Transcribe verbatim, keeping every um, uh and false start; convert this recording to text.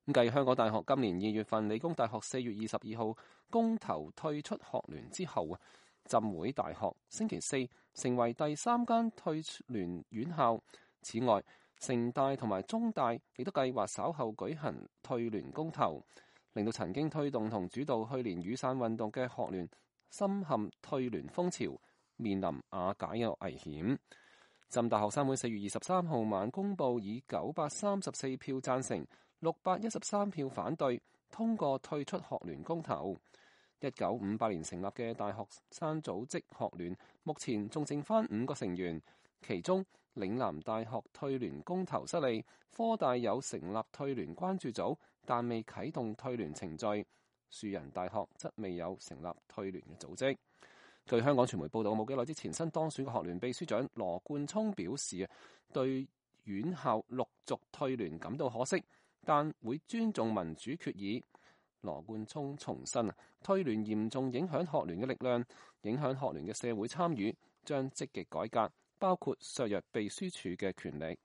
繼香港大學今年二月份、理工大學四月二十二號公投退出學聯之後啊，浸會大學星期四成為第三間退聯院校。此外，城大同埋中大亦都計劃稍後舉行退聯公投，令到曾經推動同主導去年雨傘運動嘅學聯深陷退聯風潮，面臨瓦解嘅危險。浸大學生會四月二十三號晚公佈，以九百三十四票贊成、六百一十三票反對，通過退出學聯公投。一九五八年成立嘅大學生組織學聯，目前仲剩返五個成員，其中嶺南大學退聯公投失利，科大有成立退聯關注組，但未啟動退聯程序。樹仁大學則未有成立退聯嘅組織。據香港傳媒報道，冇幾耐之前新當選嘅學聯秘書長羅冠聰表示啊，對院校陸續退聯感到可惜，但會尊重民主決議。羅冠聰重申啊，退聯嚴重影響學聯嘅力量，影響學聯嘅社會參與，將積極改革，包括削弱秘書處嘅權力。